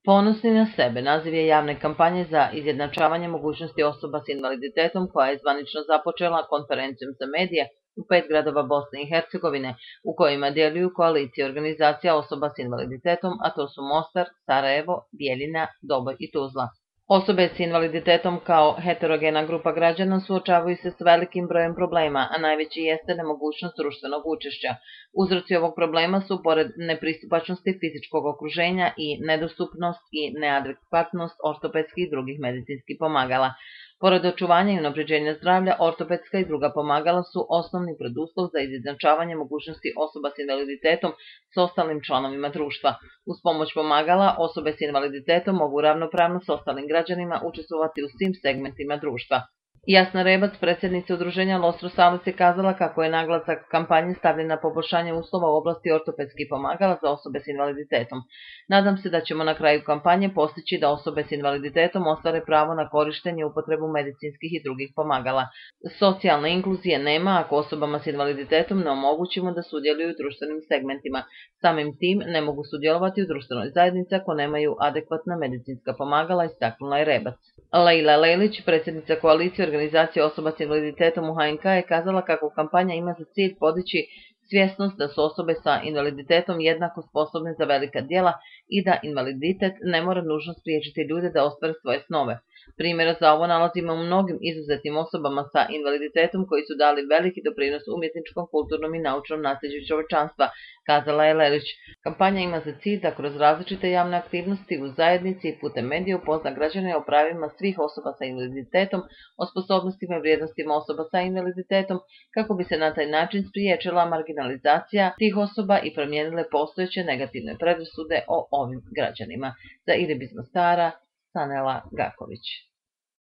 Ponosni na sebe naziv je javne kampanje za izjednačavanje mogućnosti osoba s invaliditetom koja je zvanično započela konferencijom za medije u 5 gradova Bosne i Hercegovine u kojima djeluju koalicije organizacija osoba s invaliditetom, a to su Mostar, Sarajevo, Bijeljina, Doboj i Tuzla. Osobe s invaliditetom kao heterogena grupa građana suočavaju se s velikim brojem problema, a najveći jeste nemogućnost društvenog učešća. Uzroci ovog problema su, pored nepristupačnosti fizičkog okruženja, i nedostupnost i neadekvatnost ortopedskih i drugih medicinskih pomagala. Pored očuvanja i unapređenja zdravlja, ortopedska i druga pomagala su osnovni preduslov za izjednačavanje mogućnosti osoba s invaliditetom s ostalim članovima društva. Uz pomoć pomagala, osobe s invaliditetom mogu ravnopravno s ostalim građanima učestvovati u svim segmentima društva. Jasna Rebac, predsjednica udruženja Los Rosales, je kazala kako je naglasak kampanje stavljen na poboljšanje uslova u oblasti ortopedskih pomagala za osobe s invaliditetom. Nadam se da ćemo na kraju kampanje postići da osobe s invaliditetom ostvare pravo na korištenje i upotrebu medicinskih i drugih pomagala. Socijalne inkluzije nema ako osobama s invaliditetom ne omogućimo da sudjeluju u društvenim segmentima. Samim tim ne mogu sudjelovati u društvenoj zajednici ako nemaju adekvatna medicinska pomagala, istaknula je Rebac. Leila Lelić, predsjednica koalicije organizacije osoba s invaliditetom u HNK, je kazala kako kampanja ima za cilj podići svjesnost da su osobe sa invaliditetom jednako sposobne za velika djela i da invaliditet ne mora nužno spriječiti ljude da ostvare svoje snove. Primjera za ovo nalazimo u mnogim izuzetnim osobama sa invaliditetom koji su dali veliki doprinos umjetničkom, kulturnom i naučnom nasljeđu čovječanstva, kazala je Lelić. Kampanja ima za cilj da kroz različite javne aktivnosti u zajednici i putem medija upozna građane o pravima svih osoba sa invaliditetom, o sposobnostima i vrijednostima osoba sa invaliditetom, kako bi se na taj način spriječila marginalizacija tih osoba i promijenile postojeće negativne predrasude o ovim građanima. Za Irib iz Mostara, Sanela Gaković.